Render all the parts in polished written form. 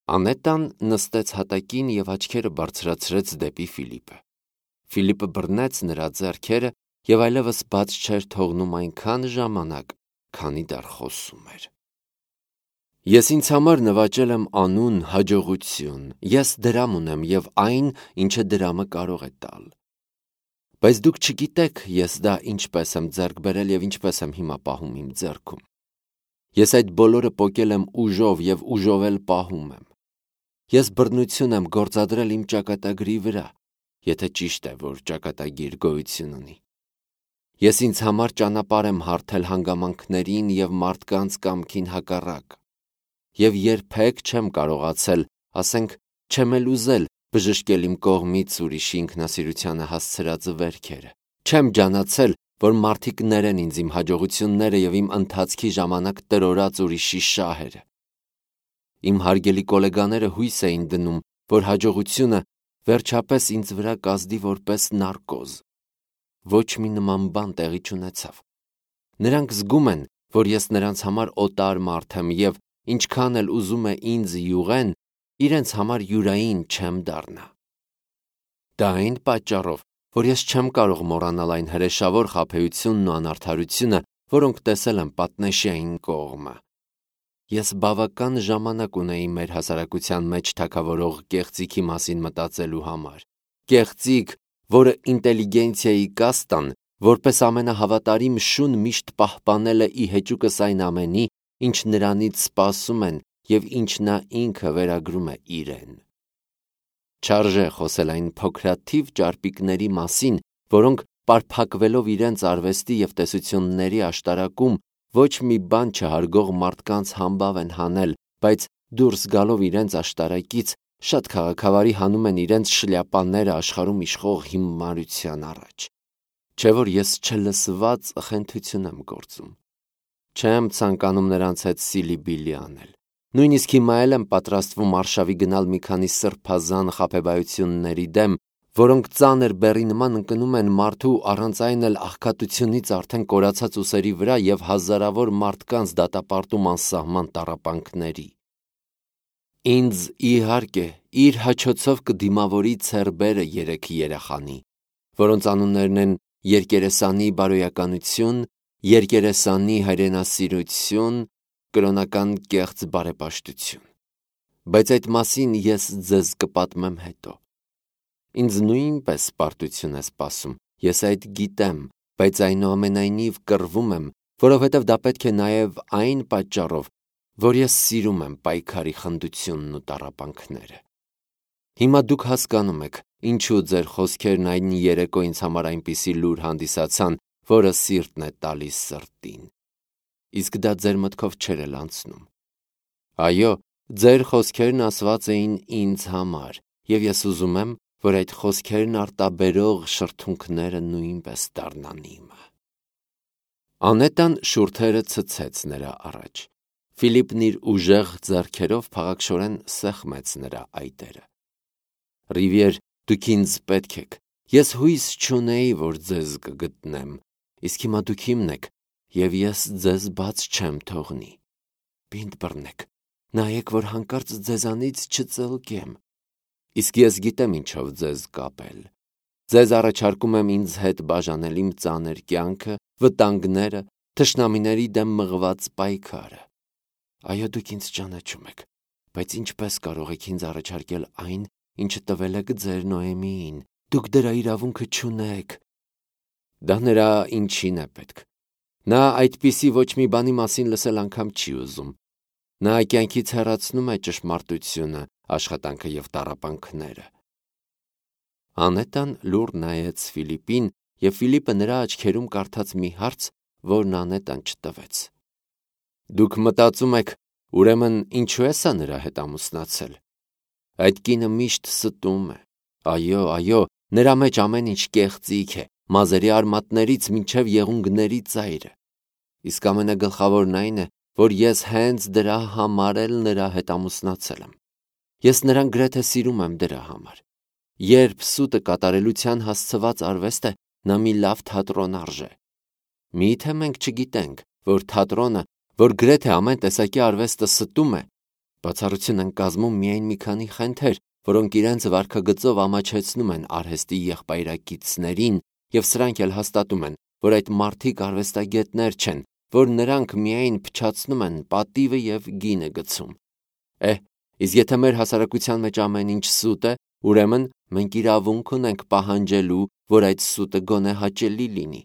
Անետան նստեց հատակին և աչքերը բարձրացրեց դեպի Ֆիլիպը։ Ֆիլիպը բռնեց նրա ձեռքերը և այլևս բաց չէր թողնում այնքան ժամանակ, քանի դեռ խոսում էր։ Ես ինձ համար նվաճել եմ անուն, հաջողություն, ես դրամ ունեմ և այն, ինչը դրամը կարող է տալ։ Բայց դուք չգիտեք ես դա ինչպես եմ ձեռք բերել և ինչպես եմ հիմա պահում իմ ձեռքում։ Ես այդ բոլորը պոկել եմ ուժով և ուժով էլ պահում եմ։ Ես բռնություն եմ գործադրել իմ ճակատագրի վրա, եթե ճիշտ է, որ ճակատագիր գոյություն ունի։ Ես ինձ համար ճանապարհ եմ հարթել հանգամանքներին և մարդկանց կամքին հակառակ։ Եվ երբեք չեմ կարողացել, ասենք, չեմ էլ ուզել բժշկել իմ կողմից ուրիշի ինքնասիրությանը հասցրած վերքերը։ Չեմ ջանացել, որ մարդիկ ներեն ինձ իմ հաջողությունները և իմ ընթացքի ժամանակ տրորած ուրիշի շահերը։ Իմ հարգելի գոլեգաները հույս էին դնում, որ հաջողությունը վերջապես ինձ վրա կազդի որպես նարկոզ։ Ոչ մի նման բան տեղի չունեցավ։ Նրանք զգում են, որ ես նրանց համար օտար մարդ եմ և ինչքան էլ ուզում է ինձ յուղեն, իրենց համար յուրային չեմ դառնա։ Դա այն պատճառով, որ ես չեմ կարող մոռանալ այն հրեշավոր խաբեությունն ու անարդարությունը, որոնք տեսել եմ պատնեշային կողմը։ Ես բավական ժամանակ ունեի մեր հասարակության մեջ թագավորող կեղծիքի մասին մտածելու համար։ Կեղծիք, որը ինտելիգենցիայի կաստան, որպես ամենահավատարիմ շուն միշտ պահպանել է ի հեճուկս այն ամենի, ինչ նրանից սպասում են և ինչ նա ինքը վերագրում է իրեն։ Չարժե խոսել այն փոքրաթիվ ճարպիկների մասին, որոնք պարփակվելով իրենց արվեստի և տեսությունների աշտարակում ոչ մի բան չհարգող մարդկանց համբավ են հանել, բայց դուրս գալով իրենց աշտարակից շատ քաղաքավարի հանում են իրենց շլյապաները աշխարհում իշխող հիմարության առաջ։ Չէ՞ որ ես չլսված խենթություն եմ գործում։ Չեմ ցանկանում նրանց հետ սիլիբիլի անել։ Նույնիսկ հիմա էլ եմ պատրաստվում արշավի գնալ մի քանի սրբազան խաբեբայությունների դեմ, որոնք ծանր բեռի նման ընկնում են մարդու առանց այն էլ աղքատությունից արդեն կորացած ուսերի վրա և հազարավոր մարդկանց դատապարտում անսահման տառապանքների։ Ինձ, իհարկե, իր հաչոցով կդիմավորի Ցերբերը 3 երեխանի, որոնց անուններն են երկերեսանի բարոյականություն, երկերեսանի հայրենասիրություն, կրոնական կեղծ բարեպաշտություն։ Բայց այդ մասին ես ձեզ կպատմեմ հետո։ Ինձ նույնպես պարտություն է սպասում, ես այդ գիտեմ, բայց այնուամենայնիվ կռվում եմ, որովհետև դա պետք է նաև այն պատճառով, որ ես սիրում եմ պայքարի խնդությունն ու տառապանքները։ Հիմա դուք հասկանում եք, ինչու ձեր խոսքերն այն երեկո ինձ համար այնպիսի լուր հանդիսացան, որը սիրտն է տալիս սրտին։ Իսկ դա ձեր մտքով չէր էլ անցնում։ Այո, ձեր խոսքերն ասված էին ինձ համար, և ես ուզում եմ, որ այդ խոսքերն արտաբերող շրթունքները նույնպես դառնան իմը։ Անետան շուրթերը ցցեց նրա առաջ։ Ֆիլիպն իր ուժեղ ձեռքերով փաղաքշորեն սեղմեց նրա այտերը։ Ռիվիեր, դուք ինձ պետք եք։ Ես հույս չունեի, որ ձեզ կգտնեմ, իսկ հիմա դուք իմն եք, և ես ձեզ բաց չեմ թողնի։ Պինդ բռնեք, նայեք, որ հանկարծ ձեզանից չծլկեմ։ Իսկ ես գիտեմ ինչով ձեզ կապել։ Ձեզ առաջարկում եմ ինձ հետ բաժանել իմ ծանր կյանքը, վտանգները, թշնամիների դեմ մղված պայքարը։ Այո, դուք ինձ ճանաչում եք, բայց ինչպես կարող եք ինձ առաջարկել այն, ինչը տվել եք ձեր Նոեմիին։ Դուք դրա իրավունքը չունեք։ Դա նրա ինչին է պետք։ Նա այդպիսի ոչ մի բանի մասին լսել անգամ չի ուզում։ Նա կյանքից հեռացնում է ճշմարտությունը, աշխատանքը և տառապանքները։ Անետան լուռ նայեց Ֆիլիպին, և Ֆիլիպը նրա աչքերում կարդաց մի հարց, որն Անետան չտվեց։ Դուք մտածում եք, ուրեմն ինչու է սա նրա հետ ամուսնացել։ Այդ կինը միշտ ստում է։ Այո, այո, նրա մեջ ամեն ինչ կեղծիք է, մազերի արմատներից մինչև եղունգների ծայրը։ Իսկ ամենագլխավորն այն է, որ ես հենց դրա համար էլ նրա հետ ամուսնացել եմ։ Ես նրան գրեթե սիրում եմ դրա համար։ Երբ սուտը կատարելության հասցված արվեստ է, նա մի լավ թատրոն արժե։ Միթե մենք չգիտենք, որ թատրոնը, որ գրեթե ամեն տեսակի արվեստը ստում է, Բացառություն են կազմում միայն մի քանի խենթեր, որոնք իրենց վարքագծով ամաչեցնում են արհեստի եղբայրակիցներին, եւ սրանք էլ հաստատում են, որ այդ մարդիկ արվեստագետներ չեն, որ նրանք միայն փչացնում են պատիվը եւ գինը գցում։ Իսկ եթե մեր հասարակության մեջ ամեն ինչ սուտ է, ուրեմն մենք իրավունք ունենք պահանջելու, որ այդ սուտը գոնե հաճելի լինի։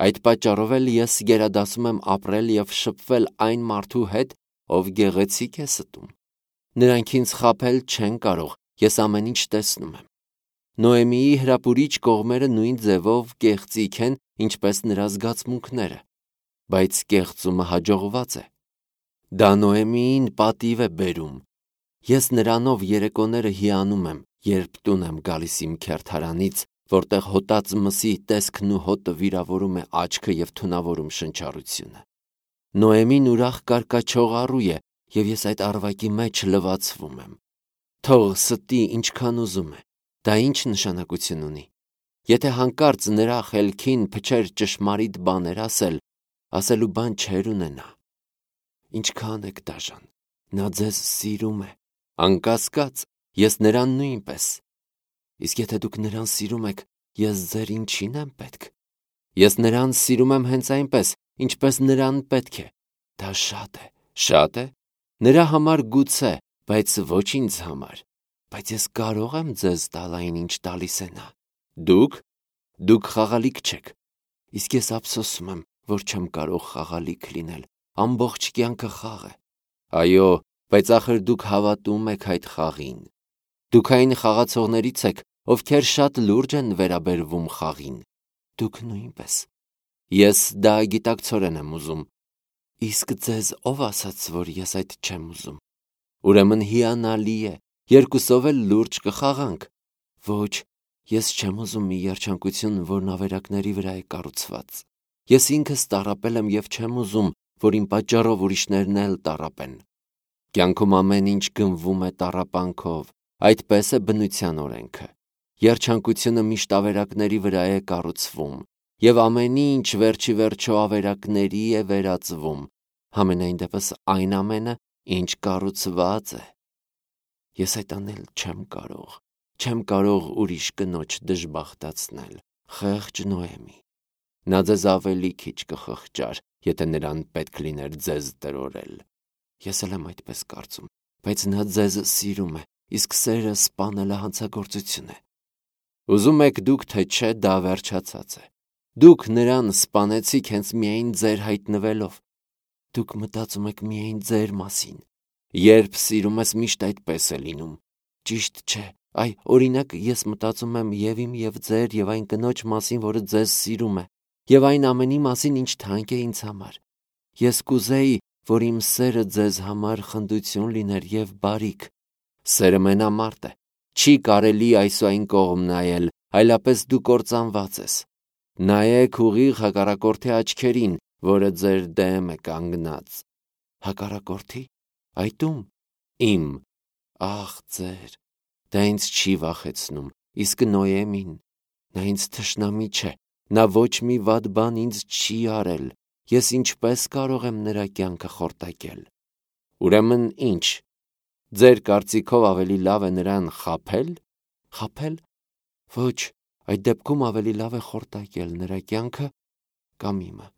Այդ պատճառով էլ ես գերադասում եմ ապրել եւ շփվել այն մարդու հետ, ով գեղեցիկ է ստում։ Նրանք ինձ խաբել չեն կարող, ես ամեն ինչ տեսնում եմ։ Նոեմիի հրապուրիչ կողմերը նույն ձևով կեղծիք են, ինչպես նրա զգացմունքները, բայց կեղծումը հաջողված է։ Դա Նոեմիին պատիվ է բերում։ Ես նրանով երեկոները հիանում եմ, երբ տուն եմ գալիս իմ քերթարանից, որտեղ հոտած մսի տեսքն ու հոտը վիրավորում է աչքը եւ թունավորում շնչառությունը։ Նոեմին ուրախ կարկաչող առու է, եւ ես այդ առվակի մեջ լվացվում եմ։ Թող ստի ինչքան ուզում է, դա ինչ նշանակություն ունի։ Եթե հանկարծ նրա խելքին փչեր ճշմարիտ բաներ ասելու բան չեր ունենա։ Ինչքան եք դաժան, նա ձեզ սիրում է, անկասկած, ես նրան նույնպես։ Իսկ եթե դուք նրան սիրում եք, ես ձեր ինչին եմ պետք։ Ես նրան սիրում եմ հենց այնպես, ինչպես նրան պետք է։ Դա շատ է։ Նրա համար գուցե, բայց ոչ ինձ համար։ Բայց ես կարող եմ ձեզ տալ այն, ինչ տալիս է նա։ Դուք խաղալիք չեք։ Իսկ ես ափսոսում եմ, որ չեմ կարող խաղալիք լինել։ Ամբողջ կյանքը խաղ է։ Այո, բայց ախր դուք հավատում եք այդ խաղին։ Դուք այն խաղացողներից եք, ովքեր շատ լուրջ են վերաբերվում խաղին։ Դուք նույնպես։ Ես դա գիտակցորեն եմ ուզում։ Իսկ ձեզ ով ասաց, որ ես այդ չեմ ուզում։ Ուրեմն հիանալի է, երկուսով էլ լուրջ կխաղանք։ Ոչ, ես չեմ ուզում մի երջանկություն, որն ավերակների վրա է կառուցված։ Ես ինքս տառապել եմ եւ չեմ ուզում, որ իմ պատճառով ուրիշներն էլ տառապեն։ Կյանքում ամեն ինչ գնվում է տառապանքով, այդպես է բնության օրենքը։ Երջանկությունը միշտ ավերակների վրա է կառուցվում, եւ ամեն ինչ վերջի վերջո ավերակների է վերածվում, համենայն դեպս այն ամենը, ինչ կառուցված է։ Ես այդ անել չեմ կարող ուրիշ կնոջ դժբախտացնել, խեղճ Նոեմի։ Նա ձեզ ավելի քիչ կխղճար, եթե նրան պետք լիներ ձեզ տրորել։ Ես էլ եմ այդպես կարծում, բայց նա ձեզ սիրում է, իսկ սերը սպանելը հանցագործություն է։ Ուզում եք դուք, թե չէ, դա վերջացած է։ Դուք նրան սպանեցիք հենց միայն ձեր հայտնվելով։ Դուք մտածում եք միայն ձեր մասին։ Երբ սիրում ես, միշտ այդպես է լինում։ Ճիշտ չէ։ Օրինակ, ես մտածում եմ եւ իմ եւ ձեր եւ այն կնոջ մասին, որը ձեզ սիրում է, եւ այն ամենի մասին, ինչ թանկ է ինձ համար։ Ես կուզեի, որ իմ սերը ձեզ համար խնդություն լիներ եւ բարիք։ Սերը մենամարտ է։ Չի կարելի այս ու այն կողմ նայել, այլապես դու կործանված ես։ Նայեք ուղիղ հակառակորդի աչքերին, որը ձեր դեմ է կանգնած։ Հակառակորդի։ Այդ ում։ Իմ։ Ախ, ձեր։ Դա ինձ չի վախեցնում, իսկ Նոեմին։ Նա ինձ թշնամի չէ, նա ոչ մի վատ բան ինձ չի արել։ Ես ինչպես կարող եմ նրա կյանքը խորտակել։ Ուրեմն ինչ։ Ձեր կարծիքով ավելի լավ է նրան խաբել։ Խաբել։ Ոչ, այդ դեպքում ավելի լավ է խորտակել նրա կյանքը կամ իմը։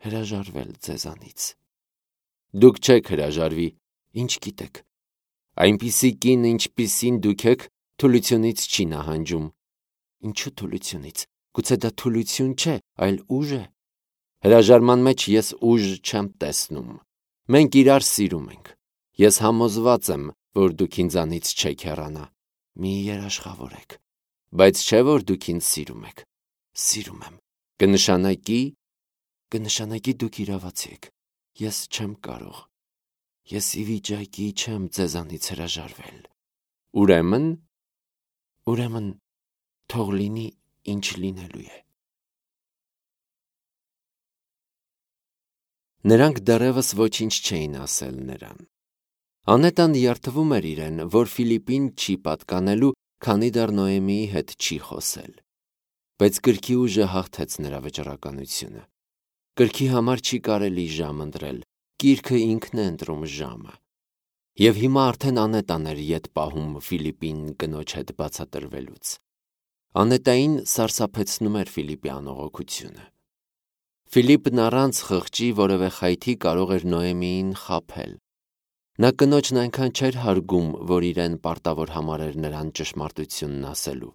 Հրաժարվել ձեզանից։ Դուք չեք հրաժարվի, ինչ գիտեք։ Այնպիսի կին, ինչպիսին դուք եք, թուլությունից չի նահանջում։ Ինչու թուլությունից։ Գուցե դա թուլություն չէ, այլ ուժ է։ Հրաժարման մեջ ես ուժ չեմ տեսնում։ Մենք իրար սիրում ենք։ Ես համոզված եմ, որ դուք ինձանից չեք հեռանա։ Մի երաշխավորեք։ Բայց չէ որ դուք ինձ սիրում եք։ Սիրում եմ։ Կնշանակի դուք իրավացի եք։ Ես չեմ կարող։ Ես ի վիճակի չեմ ձեզանից հրաժարվել։ Ուրեմն թող լինի ինչ լինելու է։ Նրանք դեռևս ոչինչ չէին ասել նրան։ Անետան երդվում էր իրեն, որ Ֆիլիպին չի պատկանելու, քանի դեռ Նոեմիի հետ չի խոսել։ Բայց կրքի ուժը հաղթեց նրա վճռականությունը։ Կրքի համար չի կարելի ժամ ընտրել, կիրքը ինքն է ընտրում ժամը։ Եվ հիմա արդեն Անետան էր ետ պահում Ֆիլիպին կնոջ հետ բացատրվելուց։ Անետային սարսափեցնում էր Ֆիլիպի անողոքությունը։ Ֆիլիպն առանց խղճի որևէ խայթի կարող էր Նոեմիին խաբել։ Նա կնոջն այնքան չէր հարգում, որ իրեն պարտավոր համարեր նրան ճշմարտությունն ասելու։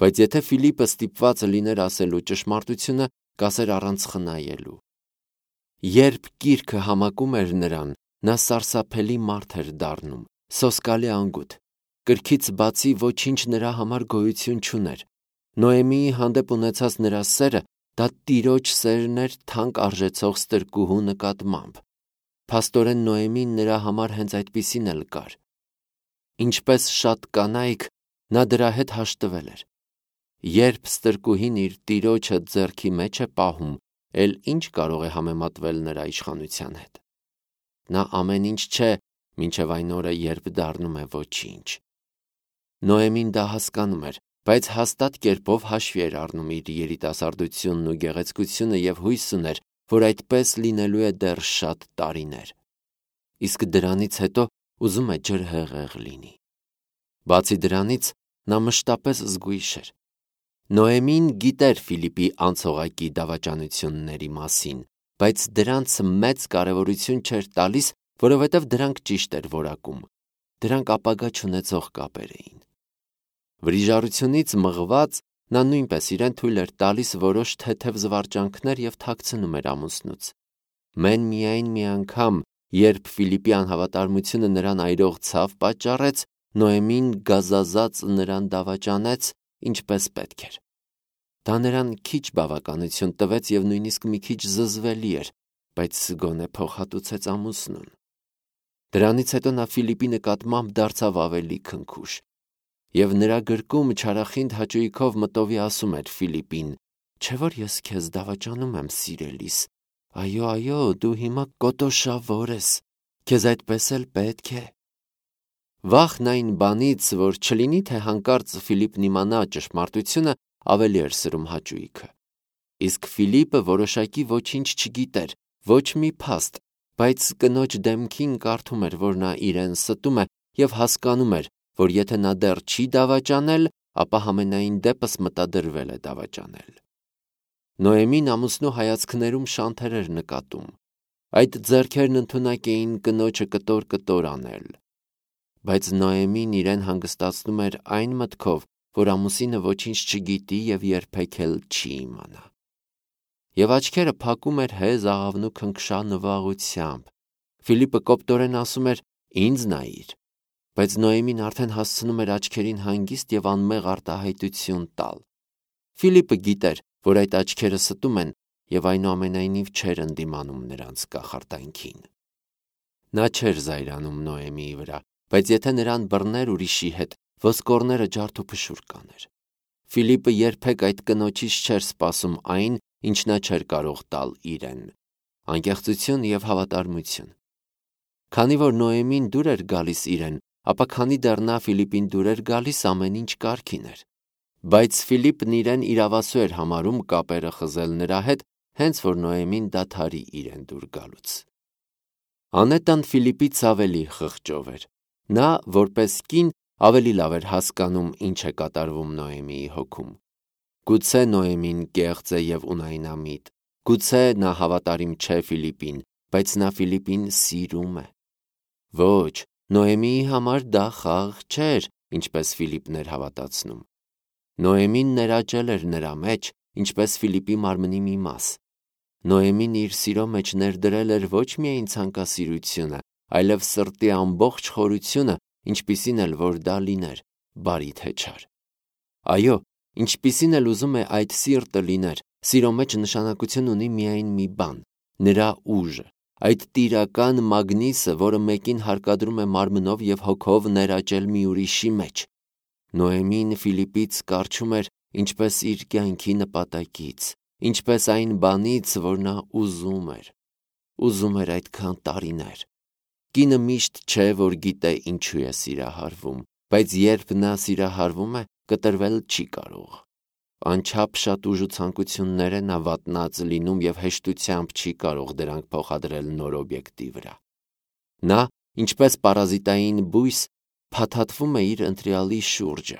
Բայց եթե Ֆիլիպը ստիպված լիներ ասելու ճշմարտությունը, կասեր առանց խնայելու։ Երբ գիրքը համակում էր նրան, նա սարսափելի մարդ էր դառնում, սոսկալի անգութ։ Կրքից բացի ոչինչ նրա համար գոյություն չուներ։ Նոեմիի հանդեպ ունեցած նրա սերը դա տիրոջ սերն էր թանկ արժեցող ստրկուհու նկատմամբ։ Փաստորեն Նոեմին նրա համար հենց այդպիսին էլ կար։ Ինչպես շատ կանայք, նա դրա հետ հաշտվել էր։ Երբ ստրկուհին իր տիրոջը ձեռքի մեջ է պահում, էլ ինչ կարող է համեմատվել նրա իշխանության հետ։ Նա ամեն ինչ չէ, մինչև այն օրը, երբ դառնում է ոչինչ։ Նոեմին դա հասկանում էր, բայց հաստատ կերպով հաշվի էր առնում իր երիտասարդությունն ու գեղեցկությունը եւ հույս ուներ, որ այդպես լինելու է դեռ շատ տարիներ։ Իսկ դրանից հետո ուզում է ջրհեղեղ լինի։ Բացի դրանից, նա մշտապես զգույշ էր։ Նոեմին գիտեր Ֆիլիպի անցողակի դավաճանությունների մասին, բայց դրանց մեծ կարևորություն չէր տալիս, որովհետև դրանք ճիշտ էր որակում։ Դրանք ապագա չունեցող կապեր էին։ Վրիժառությունից մղված նա նույնպես իրեն թույլ էր տալիս որոշ թեթև զվարճանքներ և թաքցնում էր ամուսնուց։ Մեն միայն մի անգամ, երբ Ֆիլիպի անհավատարմությունը նրան այրող ցավ պատճառեց, Նոեմին գազազած նրան դավաճանեց, ինչպես պետք էր։ Դա նրան քիչ բավականություն տվեց և նույնիսկ մի քիչ զզվելի էր, բայց գոնե փոխհատուցեց ամուսնուն։ Դրանից հետո նա Ֆիլիպի նկատմամբ դարձավ ավելի քնքուշ, և նրա գրկում չարախինդ հաճույքով մտովի ասում էր Ֆիլիպին. «Չէ՞ որ ես քեզ դավաճանում եմ, սիրելիս, այո, դու հիմա կոտոշավոր ես, քեզ այդպես էլ պետք է»։ Վախն այն բանից, որ չլինի թե հանկարծ Ֆիլիպն իմանա ճշմարտությունը, ավելի էր սրում հաճույքը։ Իսկ Ֆիլիպը որոշակի ոչինչ չգիտեր, ոչ մի փաստ, բայց կնոջ դեմքին կարդում էր, որ նա իրեն ստում է և հասկանում էր, որ եթե նա դեռ չի դավաճանել, ապա համենայն դեպս մտադրվել է դավաճանել։ Նոեմին ամուսնու հայացքներում շանթեր էր նկատում։ Այդ ձեռքերն ընդունակ էին կնոջը կտոր անել։ Բայց Նոեմին իրեն հանգստացնում էր այն մտքով, որ ամուսինը ոչինչ չգիտի և երբեք էլ չի իմանա։ Եվ աչքերը փակում էր հեզ աղավնու քնքշա նվաղությամբ։ Ֆիլիպը կոպտորեն ասում էր. «Ինձ նայիր», բայց Նոեմին արդեն հասցնում էր աչքերին հանգիստ և անմեղ արտահայտություն տալ։ Ֆիլիպը գիտեր, որ այդ աչքերը ստում են, և այնուամենայնիվ չէր ընդդիմանում նրանց կախարդանքին։ Նա չէր զայրանում Նոեմիի վրա, բայց եթե նրան բռներ ուրիշի հետ, ոսկորները ջարդուփշուր կաներ։ Ֆիլիպը երբեք այդ կնոջից չէր սպասում այն, ինչ նա չէր կարող տալ իրեն՝ անկեղծություն և հավատարմություն։ Քանի որ Նոեմին դուր էր գալիս իրեն, ապա քանի դեռ նա Ֆիլիպին դուր էր գալիս, ամեն ինչ կարգին էր։ Բայց Ֆիլիպն իրեն իրավասու էր համարում կապերը խզել նրա հետ, հենց որ Նոեմին դադարի իրեն դուր գալուց։ Անետան Ֆիլիպից ավելի խղճով էր։ Նա, որպես կին, ավելի լավ էր հասկանում, ինչ է կատարվում Նոեմիի հոգում։ Գուցե Նոեմին կեղծ է և ունայնամիտ, գուցե նա հավատարիմ չէ Ֆիլիպին, բայց նա Ֆիլիպին սիրում է։ Ոչ, Նոեմիի համար դա խաղ չէր, ինչպես Ֆիլիպն էր հավատացնում։ Նոեմին ներաճել էր նրա մեջ, ինչպես Ֆիլիպի մարմնի մի մաս։ Նոեմին իր սիրո մեջ ներդրել էր ոչ միայն ցանկասիրությունը, այլև սրտի ամբողջ խորությունը, ինչպիսին էլ որ դա լիներ, բարի թե չար։ Այո, ինչպիսին էլ ուզում է այդ սիրտը լիներ, սիրո մեջ նշանակություն ունի միայն մի բան՝ նրա ուժը, այդ տիրական մագնիսը, որը մեկին հարկադրում է մարմնով և հոգով ներաճել մի ուրիշի մեջ։ Նոեմին Ֆիլիպից կառչում էր ինչպես իր կյանքի նպատակից, ինչպես այն բանից, որ նա ուզում էր։ Ուզում էր այդքան տարիներ։ Կինը միշտ չէ, որ գիտե ինչու է սիրահարվում, բայց երբ նա սիրահարվում է, կտրվել չի կարող։ Անչափ շատ ուժ ու ցանկություններ է նա վատնած լինում և հեշտությամբ չի կարող դրանք փոխադրել նոր օբյեկտի վրա։ Նա ինչպես պարազիտային բույս փաթաթվում է իր ընտրյալի շուրջը,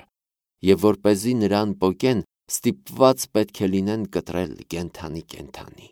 և որպեսզի նրան պոկեն, ստիպված պետք է լինեն կտրել կենդանի։